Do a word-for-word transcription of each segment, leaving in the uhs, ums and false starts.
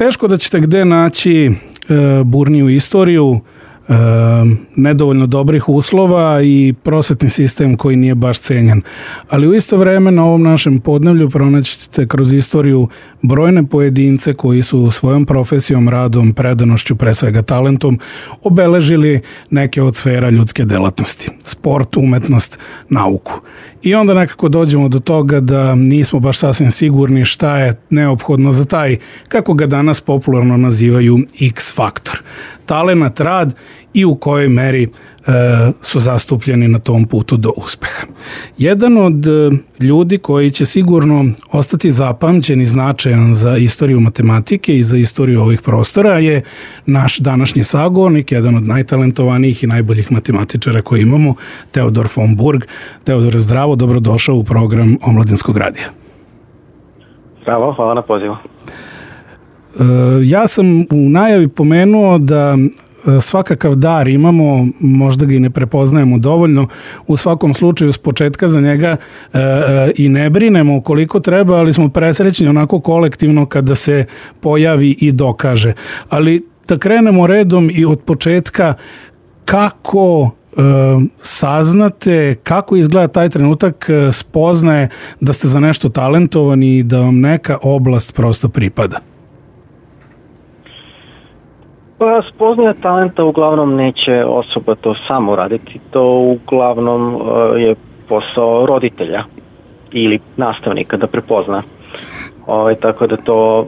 teško da ćete gde naći e, burniju istoriju, E, nedovoljno dobrih uslova i prosvetni sistem koji nije baš cenjen. Ali u isto vreme na ovom našem podneblju pronaćete kroz istoriju brojne pojedince koji su svojom profesijom, radom, predanošću, pre svega talentom, obeležili neke od sfera ljudske delatnosti. Sport, umetnost, nauku. I onda nekako dođemo do toga da nismo baš sasvim sigurni šta je neophodno za taj, kako ga danas popularno nazivaju, X faktor. Talenat, rad i u kojoj meri e, su zastupljeni na tom putu do uspeha. Jedan od e, ljudi koji će sigurno ostati zapamćen i značajan za istoriju matematike i za istoriju ovih prostora je naš današnji sagovornik, jedan od najtalentovanijih i najboljih matematičara koji imamo, Teodor von Burg. Teodore, zdravo, dobrodošao u program Omladinskog radija. Zdravo, hvala na pozivu. Ja sam u najavi pomenuo da svakakav dar imamo, možda ga i ne prepoznajemo dovoljno, u svakom slučaju s početka za njega e, e, i ne brinemo koliko treba, ali smo presrećni onako kolektivno kada se pojavi i dokaže. Ali da krenemo redom i od početka, kako e, saznate, kako izgleda taj trenutak spoznaje da ste za nešto talentovani i da vam neka oblast prosto pripada? Pa spoznaja talenta uglavnom neće osoba to samo raditi, to uglavnom uh, je posao roditelja ili nastavnika da prepozna. Ovaj, tako da to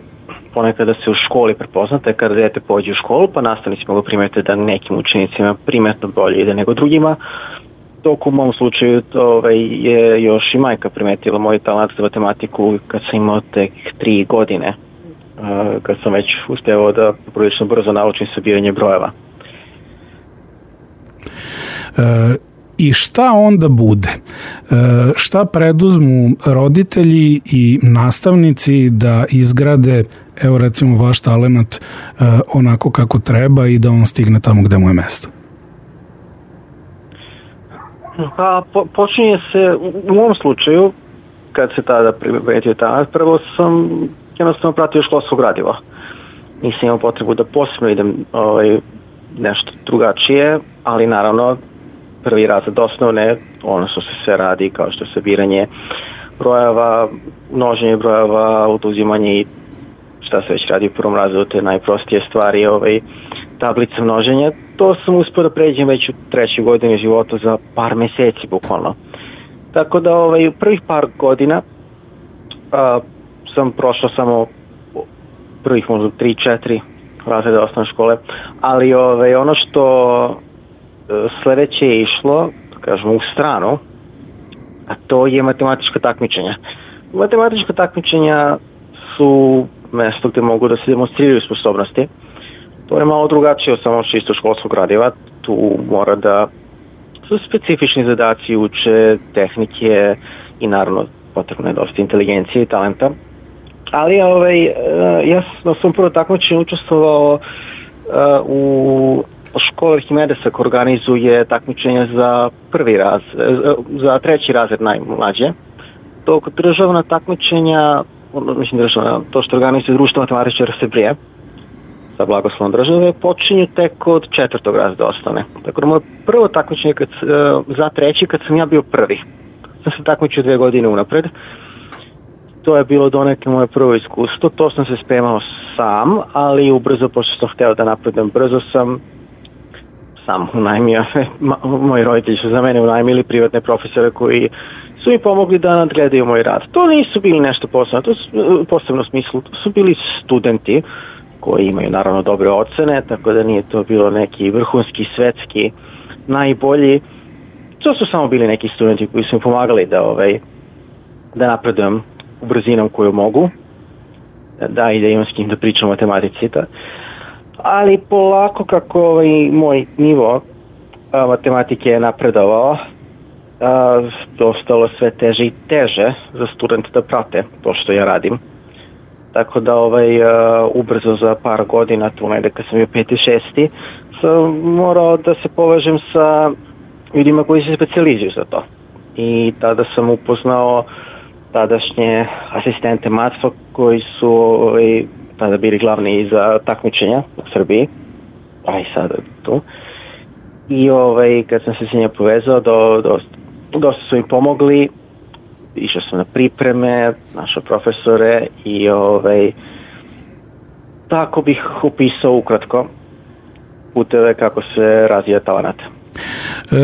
ponekada se u školi prepoznate kada dete pođe u školu, pa nastavnici mogu primetiti da nekim učenicima primetno bolje ide nego drugima. Dok u mom slučaju ovaj, je još i majka primetila moj talent za matematiku kad sam imao tek tri godine. Kad sam već uspjevao da prilično brzo naučim sabiranje brojeva. E, I šta onda bude? E, šta preduzmu roditelji i nastavnici da izgrade, evo recimo, vaš talenat e, onako kako treba i da on stigne tamo gde mu je mesto? Pa po, počinje se, u mom slučaju, kad se tada primetio talent, prvo sam jednostavno pratio školsko gradivo. Nisam imao potrebu da posebno idem ovaj, nešto drugačije, ali naravno prvi razred osnovne, ono što se sve radi kao što je sabiranje brojeva, množenje brojeva, oduzimanje i šta se već radi u prvom razredu, te najprostije stvari, ovaj, tablice množenja. To sam uspio da pređem već u trećoj godini života za par meseci bukvalno. Tako da ovaj, u prvih par godina a, sam prošao samo prvih možda tri četiri razreda osnovne škole, ali ovaj, ono što sledeće je išlo, kažemo, u stranu, a to je matematička takmičenja. Matematička takmičenja su mesto gde mogu da se demonstriraju sposobnosti. To je malo drugačije od samo čisto školskog gradiva. Tu mora da su specifični zadaci, uče tehnike i naravno potrebno je dosta inteligencije i talenta. Ali ovaj, ja sam prvo takmičenje učestvovao uh, u školi Arhimedesa koja organizuje takmičenja za prvi raz, za treći razred najmlađe. Dok državna takmičenja, mislim državna, to što organizuje Društvo matematičara Srbije sa blagoslovom države, počinju tek od četvrtog razreda osnovne. Tako da moje prvo takmičenje kad, za treći, kad sam ja bio prvi. Sam se takmičio dve godine unapred. To je bilo donekle moje prvo iskustvo. To sam se spremao sam, ali ubrzo, pošto sam hteo da napredujem brzo, sam sam unajmio. Moji roditelji su za mene unajmili privatne profesore koji su mi pomogli da nadgledaju moj rad. To nisu bili nešto posebno, to su, posebno smislu, to su bili studenti koji imaju naravno dobre ocene, tako da nije to bilo neki vrhunski, svetski, najbolji. To su samo bili neki studenti koji su mi pomagali da, ovaj, da napredujem u brzinom koju mogu, da i da imam s kim da pričam o matematici. Da. Ali polako kako ovaj, moj nivo a, matematike je napredovao, a, ostalo sve teže i teže za studente da prate to što ja radim. Tako da ovaj, a, ubrzo za par godina, tu negde kad sam bio peti, šesti, sam morao da se povežem sa ljudima koji se specijalizuju za to. I tada sam upoznao tadašnje asistente matfa koji su ovaj, tada bili glavni za takmičenja u Srbiji, a i sada tu. I ovaj, kad sam se s njima povezao, do, do, dosta su mi pomogli, išao sam na pripreme, našao profesore i ovaj, tako bih upisao ukratko puteve kako se razvija talenat. E,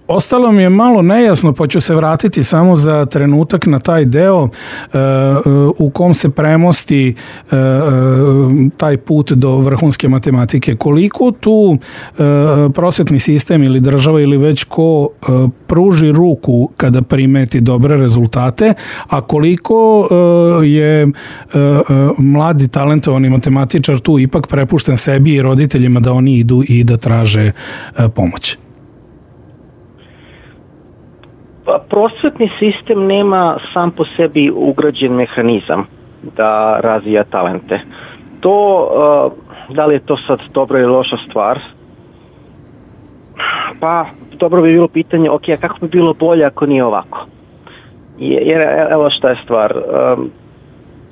ostalo mi je malo nejasno, pa ću se vratiti samo za trenutak na taj deo e, u kom se premosti e, taj put do vrhunske matematike. Koliko tu e, prosvetni sistem ili država ili već ko e, pruži ruku kada primeti dobre rezultate, a koliko e, je e, mladi talentovani matematičar tu ipak prepušten sebi i roditeljima da oni idu i da traže e, pomoć? Pa, prosvetni sistem nema sam po sebi ugrađen mehanizam da razvija talente. To, uh, da li je to sad dobra ili loša stvar? Pa, dobro bi bilo pitanje, ok, a kako bi bilo bolje ako nije ovako? Jer, evo šta je stvar. Um,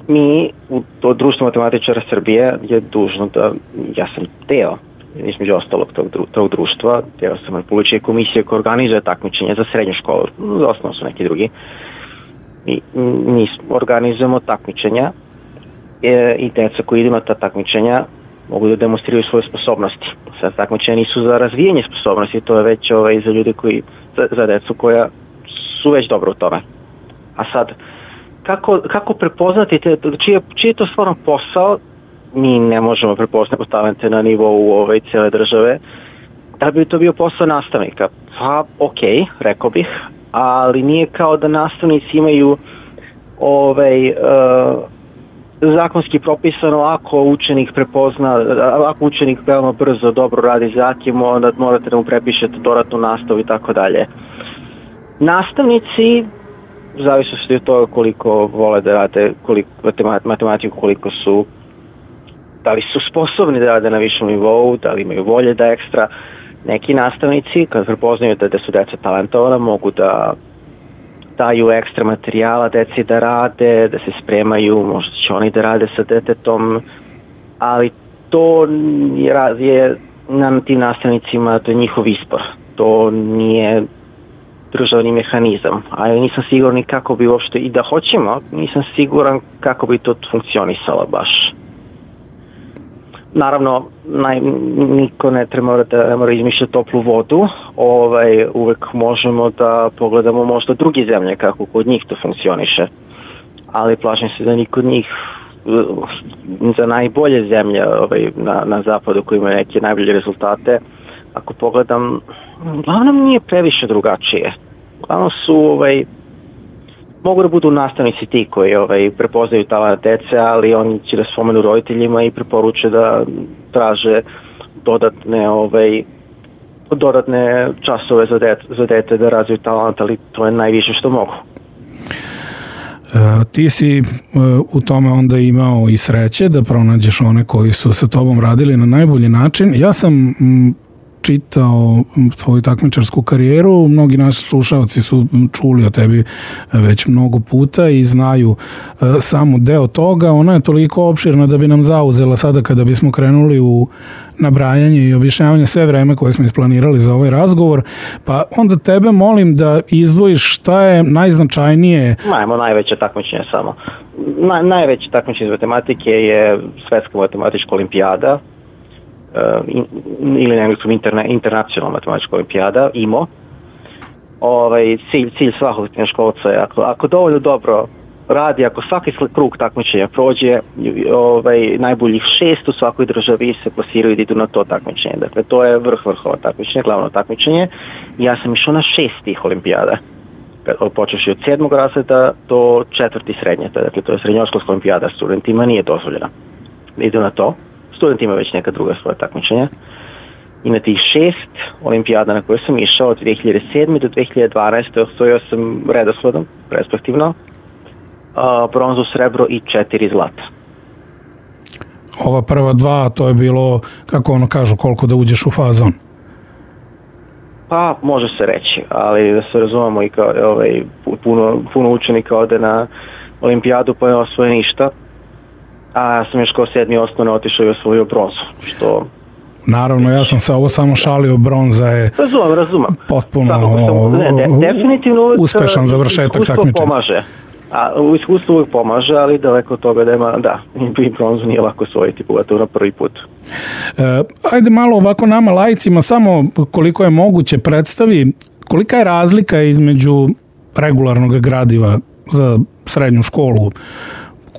mi, u to Društvo matematičara Srbije je dužno da, ja sam deo, između ostalog tog, tog društva, deo sam Republičke komisije koja organizuje takmičenje za srednju školu, za osnovu su neki drugi. I mi organizujemo takmičenja e, i deca koji idu na ta takmičenja mogu da demonstriraju svoje sposobnosti. Sad takmičenja nisu za razvijanje sposobnosti, to je već ovaj, za ljude koji, za, za decu koja su već dobro u tome. A sad, kako, kako prepoznati, te, čiji, čiji je to stvarno posao, mi ne možemo prepoznati talente na nivou ove cijele države. Da bi to bio posao nastavnika? Pa, ok, rekao bih, ali nije kao da nastavnici imaju ovaj, uh, zakonski propisano ako učenik prepozna, ako učenik veoma brzo dobro radi zatim, onda morate da mu prepišete dodatnu nastavu i tako dalje. Nastavnici, zavisno od toga koliko vole da rade koliko, matematiku, koliko su, da li su sposobni da rade na višem nivou, da li imaju volje da ekstra. Neki nastavnici, kad prepoznaju da, da su deca talentovana, mogu da daju ekstra materijala deci da rade, da se spremaju, možda će oni da rade sa detetom, ali to je, je na tim nastavnicima, to je njihov izbor. To nije državni mehanizam, ali nisam siguran kako bi uopšte, i da hoćemo, nisam siguran kako bi to funkcionisalo baš. Naravno, naj, niko ne treba da ne mora izmišljati toplu vodu, ovaj, uvek možemo da pogledamo možda druge zemlje kako kod njih to funkcioniše, ali plašim se da niko od njih za najbolje zemlje ovaj, na, na zapadu koji imaju neke najbolje rezultate, ako pogledam, uglavnom nije previše drugačije. Uglavnom su, ovaj, mogu da budu nastavnici ti koji ovaj, prepoznaju talent dece, ali oni će da spomenu roditeljima i preporuče da traže dodatne, ovaj, dodatne časove za dete, za dete da razviju talent, ali to je najviše što mogu. E, ti si e, u tome onda imao i sreće da pronađeš one koji su sa tobom radili na najbolji način. Ja sam m, čitao svoju takmičarsku karijeru, mnogi naši slušalci su čuli o tebi već mnogo puta i znaju e, samo deo toga. Ona je toliko opširna da bi nam zauzela sada kada bismo krenuli u nabrajanje i objašnjavanje sve vreme koje smo isplanirali za ovaj razgovor, pa onda tebe molim da izdvojiš šta je najznačajnije. Majmo najveće takmičenje samo. Na, najveće takmičenje iz matematike je Svetska matematička olimpijada, ili na engleskom interna, internacionalna matematička olimpijada, I M O. Ovaj, cilj, cilj svakog srednjoškolca je, ako, ako dovoljno dobro radi, ako svaki krug takmičenja prođe, ovaj, najboljih šest u svakoj državi se plasiraju da idu na to takmičenje. Dakle, to je vrh vrhova takmičenje, glavno takmičenje. Ja sam išao na šest tih olimpijada. Počeš od sedmog razreda do četvrti srednje. Dakle, to je srednjoškolska olimpijada. Studentima nije dozvoljena da idu na to. Student ima već neka druga svoja takmičenja. I na tih šest olimpijada na koje sam išao od dve hiljade sedme do dve hiljade dvanaeste osvojio sam redosledom, respektivno, uh, bronzu, srebro i četiri zlata. Ova prva dva, to je bilo, kako ono kažu, koliko da uđeš u fazon? Pa, može se reći, ali da se razumemo i kao ovaj, puno, puno učenika ode na olimpijadu pa ne osvoje ništa. a ja sam još kao sedmi osnovne otišao i osvojio bronzu, što... Naravno, ja sam se ovo samo šalio, bronza je razumem, razumem. potpuno sam, ne, de, definitivno uvijek uspešan završetak takmičenja. Pomaže. A u iskustvu uvijek pomaže, ali daleko od toga da ima, da, i bronzu nije lako osvojiti, pogotovo na prvi put. E, ajde malo ovako nama laicima, samo koliko je moguće predstavi, kolika je razlika između regularnog gradiva za srednju školu,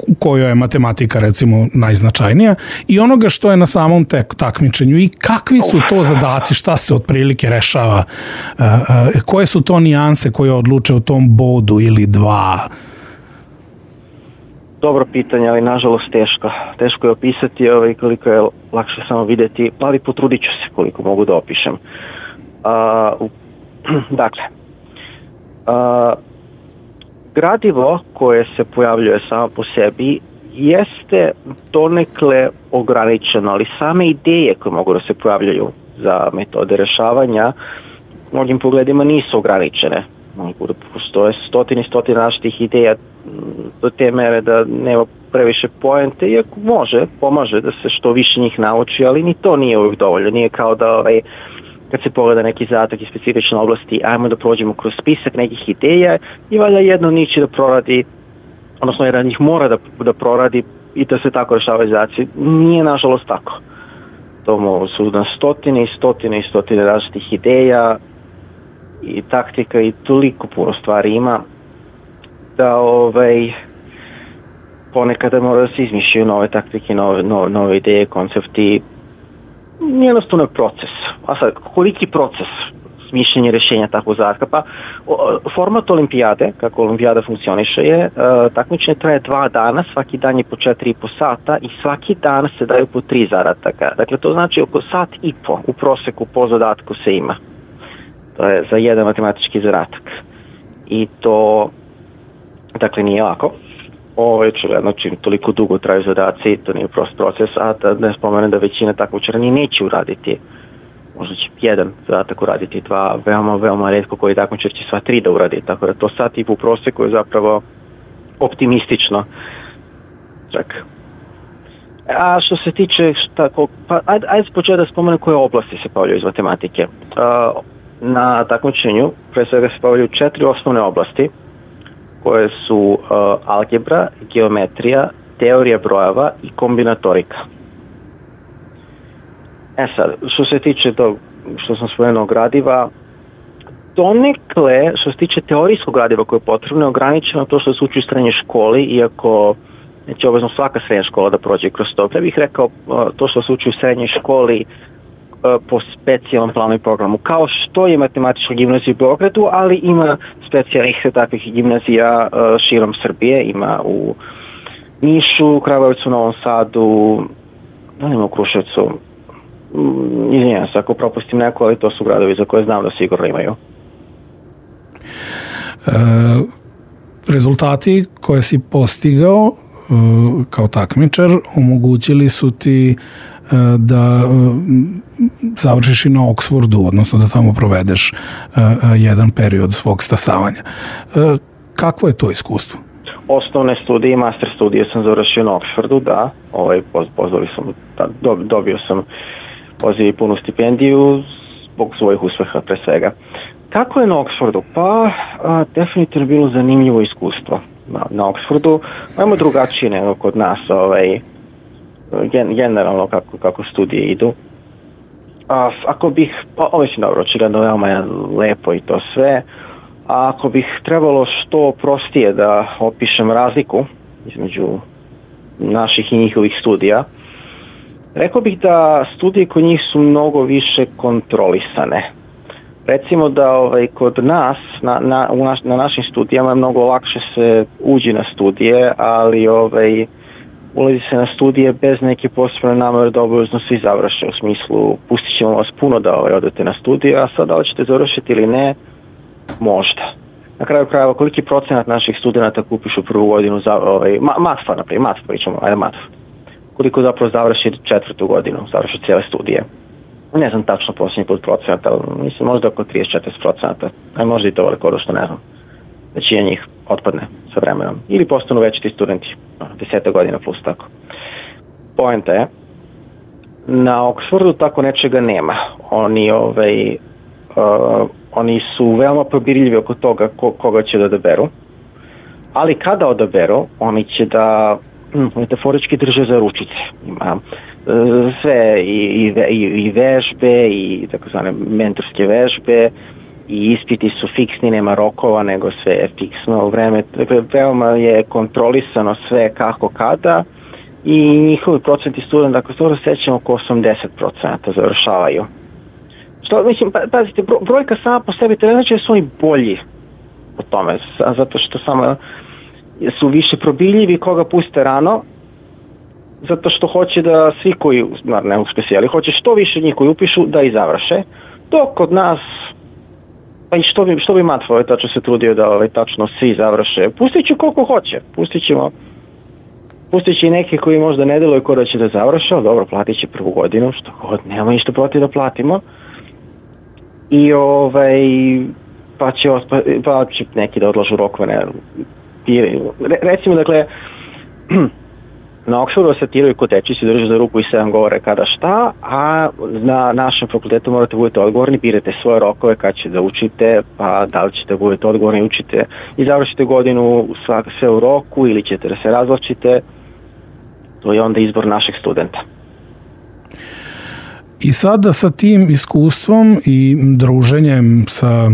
u kojoj je matematika recimo najznačajnija, i onoga što je na samom tek, takmičenju, i kakvi su to zadaci, šta se otprilike rešava, e, e, koje su to nijanse koje odluče o tom bodu ili dva? Dobro pitanje, ali nažalost teško. Teško je opisati, ovaj, koliko je lakše samo vidjeti, ali potrudit ću se koliko mogu da opišem. Uh, dakle, uh, gradivo koje se pojavljuje samo po sebi jeste donekle ograničeno, ali same ideje koje mogu da se pojavljaju za metode rešavanja u mnogim pogledima nisu ograničene. Postoje stotine i stotine različitih ideja do te mere da nema previše poente, iako može, pomaže da se što više njih nauči, ali ni to nije uvijek dovoljno. Nije kao da ovaj, kad se pogleda neki zadatak iz specifične oblasti, ajmo da prođemo kroz spisak nekih ideja i valja jedno nići da proradi, odnosno jedan njih mora da, da proradi i da se tako rešavaju zadaci. Nije nažalost tako. To su na stotine i stotine i stotine različitih ideja i taktika i toliko puno stvari ima da ovaj, ponekada mora da se izmišljaju nove taktike, nove, nove, nove ideje, koncepti. Jednostavno je proces. A sad, koliki proces mišljenja rješenja takvog zadatka? Pa, format olimpijade, kako olimpijada funkcioniše je, takmičenje traje dva dana, svaki dan je po četiri i po sata i svaki dan se daju po tri zadataka. Dakle, to znači oko sat i po u proseku po zadatku se ima. To je za jedan matematički zadatak. I to, dakle, nije lako. Ovo je očigledno čim toliko dugo traju zadaci, to nije prost proces, a da ne spomenem da većina takmičara ni neće uraditi. Možda će jedan zadatak uraditi, dva, veoma, veoma retko koji takmičar će sva tri da uradi. Tako da to sat i po proseku je zapravo optimistično. Čak. A što se tiče, šta, pa ajde, ajde početi da spomenem koje oblasti se pojavljaju iz matematike. Uh, Na takmičenju pre svega se pojavljaju četiri osnovne oblasti koje su uh, algebra, geometrija, teorija brojeva i kombinatorika. E sad, što se tiče tog, što sam spomenuo gradiva, donekle, što se tiče teorijskog gradiva koje je potrebno, je ograničeno to što se uči u srednjoj školi, iako neće obavezno svaka srednja škola da prođe kroz to. Ja bih rekao uh, to što se uči u srednjoj školi po specijalnom planu i programu, kao što je matematička gimnazija u Beogradu, ali ima specijalnih takvih gimnazija širom Srbije, ima u Nišu, Kragujevcu, Novom Sadu, da nema u Kruševcu, izvinjam se ako propustim neko, ali to su gradovi za koje znam da sigurno imaju. E, rezultati koje si postigao kao takmičar omogućili su ti da završiš i na Oxfordu, odnosno da tamo provedeš jedan period svog stasavanja. Kakvo je to iskustvo? Osnovne studije i master studije sam završio na Oxfordu, da. Ovaj, pozvali sam, da, dobio sam poziv i punu stipendiju zbog svojih uspeha pre svega. Kako je na Oxfordu? Pa, a, definitivno bilo zanimljivo iskustvo na, na Oxfordu. Imamo drugačije nego kod nas, ovaj, generalno kako, kako studije idu. A, ako bih, pa ovo je dobro, očigledno veoma je lepo i to sve, a ako bih trebalo što prostije da opišem razliku između naših i njihovih studija, rekao bih da studije kod njih su mnogo više kontrolisane. Recimo da ovaj, kod nas, na, na, u naš, na našim studijama je mnogo lakše se uđi na studije, ali ovaj, ulazi se na studije bez neke posebne namere da obavezno svi završe, u smislu pustit ćemo vas puno da ovaj, odete na studije, a sad da li ćete završiti ili ne, možda. Na kraju krajeva, koliki procenat naših studenata kupiš u prvu godinu, za, ovaj, ma, matfa, naprijed, matfa pričamo, ajde matfa. Koliko zapravo završi četvrtu godinu, završi cijele studije. Ne znam tačno posljednji put procenata, ali mislim možda oko trideset do četrdeset procenata, a možda i to veliko što ne znam. Većina njih otpadne sa vremenom. Ili postanu već ti studenti, deseta godina plus tako. poenta je, na Oxfordu tako nečega nema. Oni, ovaj, uh, oni su veoma probirljivi oko toga ko, koga će da odaberu, ali kada odaberu, oni će da hm, metaforički drže za ručice. Ima uh, sve i, i, i vežbe i tako zvane mentorske vežbe i ispiti su fiksni, nema rokova, nego sve je fiksno vreme. Dakle, veoma je kontrolisano sve kako kada i njihovi procenti studenta, ako se dobro sećam, oko osamdeset procenta završavaju. Što, mislim, pa, pazite, brojka sama po sebi, to ne znači da su oni bolji u tome, zato što samo su više probiljivi koga puste rano, zato što hoće da svi koji, ne uspesi, ali hoće što više njih koji upišu da i završe, dok kod nas, pa i što bi, što bi Matva ovaj tačno se trudio da ovaj, tačno svi završe, pustit ću koliko hoće, pustit ćemo, pustit će i neke koji možda ne deluju ko da će da završe, ali dobro, platit će prvu godinu, što god, nema ništa protiv da platimo, i ovaj, pa će, pa, pa će neki da odlažu rokove, ne, Re, recimo, dakle, na Oxfordu se tiraju kod teči, se drže za ruku i sedam govore kada šta, a na našem fakultetu morate budete odgovorni, birate svoje rokove kad će da učite, pa da li ćete budete odgovorni, učite i završite godinu svak, sve u roku ili ćete da se razvlačite, to je onda izbor našeg studenta. I sada sa tim iskustvom i druženjem sa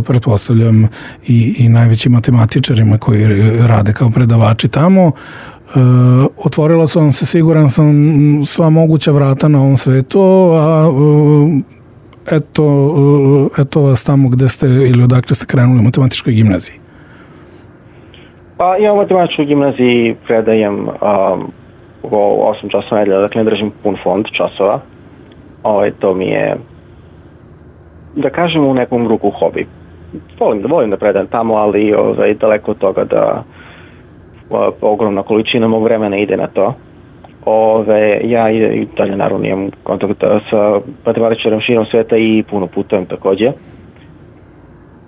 pretpostavljam i, i najvećim matematičarima koji rade kao predavači tamo, e, otvorila su vam se, siguran sam, sva moguća vrata na ovom svetu, a e, eto, eto vas tamo gde ste ili odakle ste krenuli u matematičkoj gimnaziji. Pa ja u matematičkoj gimnaziji predajem um, osam časova nedelja, dakle ne držim pun fond časova. Ovo, to mi je, da kažem, u nekom ruku hobi. Volim da, volim da predajem tamo, ali ovaj, daleko od toga da o, ogromna količina mog vremena ide na to. Ove, ja i dalje naravno imam kontakt sa matematičarom širom sveta i puno putujem takođe.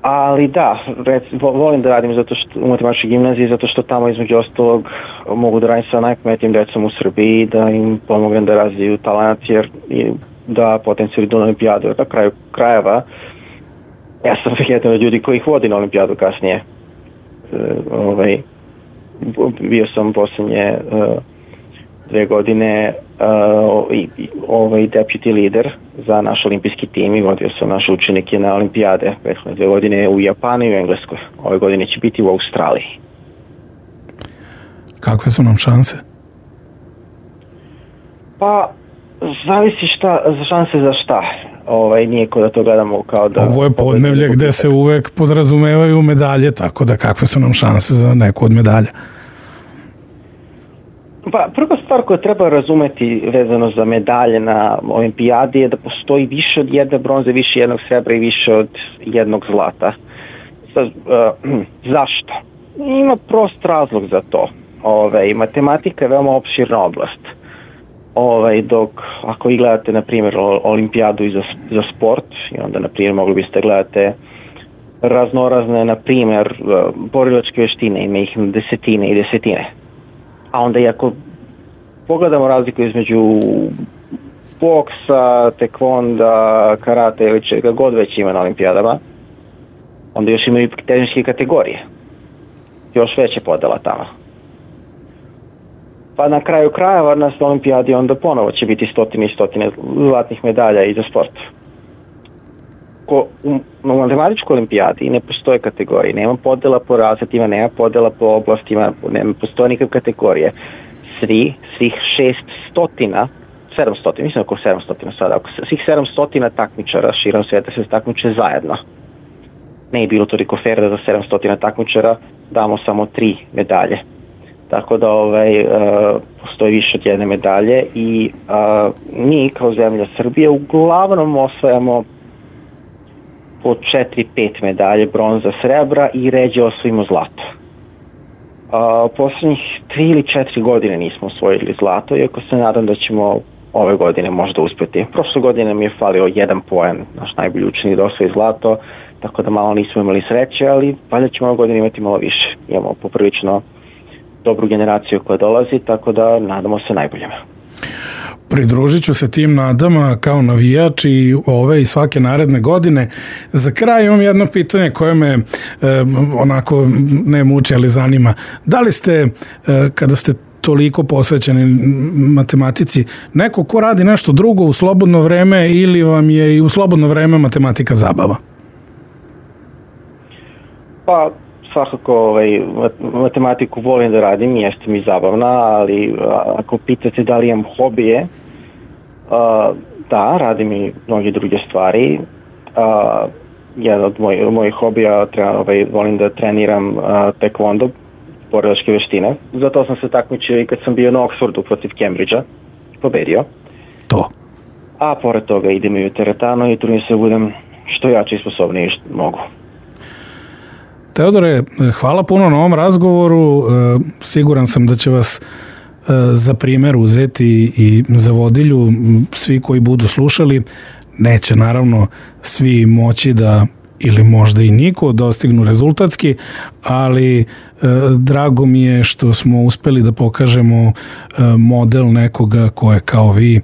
Ali da, rec, volim da radim zato što, u matematičkoj gimnaziji, zato što tamo između ostalog mogu da radim sa najpametnijim decom u Srbiji, da im pomognem da razviju talent, jer da potencijali do olimpijadu. Na kraju krajeva, ja sam jedan od ljudi koji ih vodi na olimpijadu kasnije. E, ovaj, bio sam posljednje e, dve godine uh, i, ovaj deputy leader za naš olimpijski tim i vodio sam naše učenike na olimpijade. Prethodne dve godine u Japanu i u Engleskoj. Ove godine će biti u Australiji. Kakve su nam šanse? Pa, zavisi šta, za šanse za šta. Ovaj, nije ko da to gledamo kao da... Ovo je podneblje gde se uvek podrazumevaju medalje, tako da kakve su nam šanse za neku od medalja? Pa, prva stvar koju treba razumeti vezano za medalje na olimpijadi je da postoji više od jedne bronze, više jednog srebra i više od jednog zlata. Sa, uh, zašto? Ima prost razlog za to. Ove, matematika je veoma opširna oblast. Ove, dok ako vi gledate, na primjer, olimpijadu i za, za sport, i onda, na primjer, mogli biste gledate raznorazne, na primjer, borilačke veštine, ima ih desetine i desetine. A onda i ako pogledamo razliku između boksa, tekvonda, karate ili čega god već ima na olimpijadama, onda još imaju i tehničke kategorije. Još veća podela tamo. Pa na kraju krajeva na olimpijadi onda ponovo će biti stotine i stotine zlatnih medalja i za sport. Ko, u, u matematičkoj olimpijadi ne postoje kategorije, nema podela po razredima, nema podela po oblastima, nema postoje nikakve kategorije. Svi, svih šeststotina, sedamstotina, mislim oko sedamstotina sada, oko svih sedamstotina takmičara širom sveta se takmiče zajedno. Ne je bilo toliko fair da za sedamstotina takmičara damo samo tri medalje. Tako da ovaj, uh, postoji više od jedne medalje i uh, mi kao zemlja Srbije uglavnom osvajamo po četiri pet medalje, bronza, srebra i ređe osvojimo zlato. Uh, poslednjih tri ili četiri godine nismo osvojili zlato, iako se nadam da ćemo ove godine možda uspeti. Prošle godine nam je falio jedan poen, naš najbolji učenik da osvoji zlato, tako da malo nismo imali sreće, ali valjda ćemo ove godine imati malo više. Imamo poprilično dobru generaciju koja dolazi, tako da nadamo se najboljima. Pridružit ću se tim nadama kao navijač i ove i svake naredne godine. Za kraj imam jedno pitanje koje me e, onako ne muče, ali zanima. Da li ste, e, kada ste toliko posvećeni matematici, neko ko radi nešto drugo u slobodno vreme ili vam je i u slobodno vreme matematika zabava? Pa, svakako ovaj, matematiku volim da radim, jeste mi zabavna, ali ako pitate da li imam hobije, uh, da, radim i mnoge druge stvari. Uh, jedan od moj, mojih hobija, treba, ovaj, volim da treniram uh, taekwondo, borilačke veštine. Zato sam se takmičio i kad sam bio na Oxfordu protiv Cambridgea, pobedio. To. A pored toga idem i u teretanu i trudim se da budem što jači i sposobniji što mogu. Teodore, hvala puno na ovom razgovoru. Siguran sam da će vas za primjer uzeti i za vodilju svi koji budu slušali. Neće naravno svi moći da, ili možda i niko, dostignu rezultatski, ali drago mi je što smo uspeli da pokažemo model nekoga ko je kao vi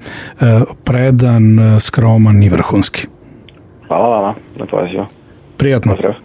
predan, skroman i vrhunski. Hvala vama na pozivu. Prijatno. Pozdrav.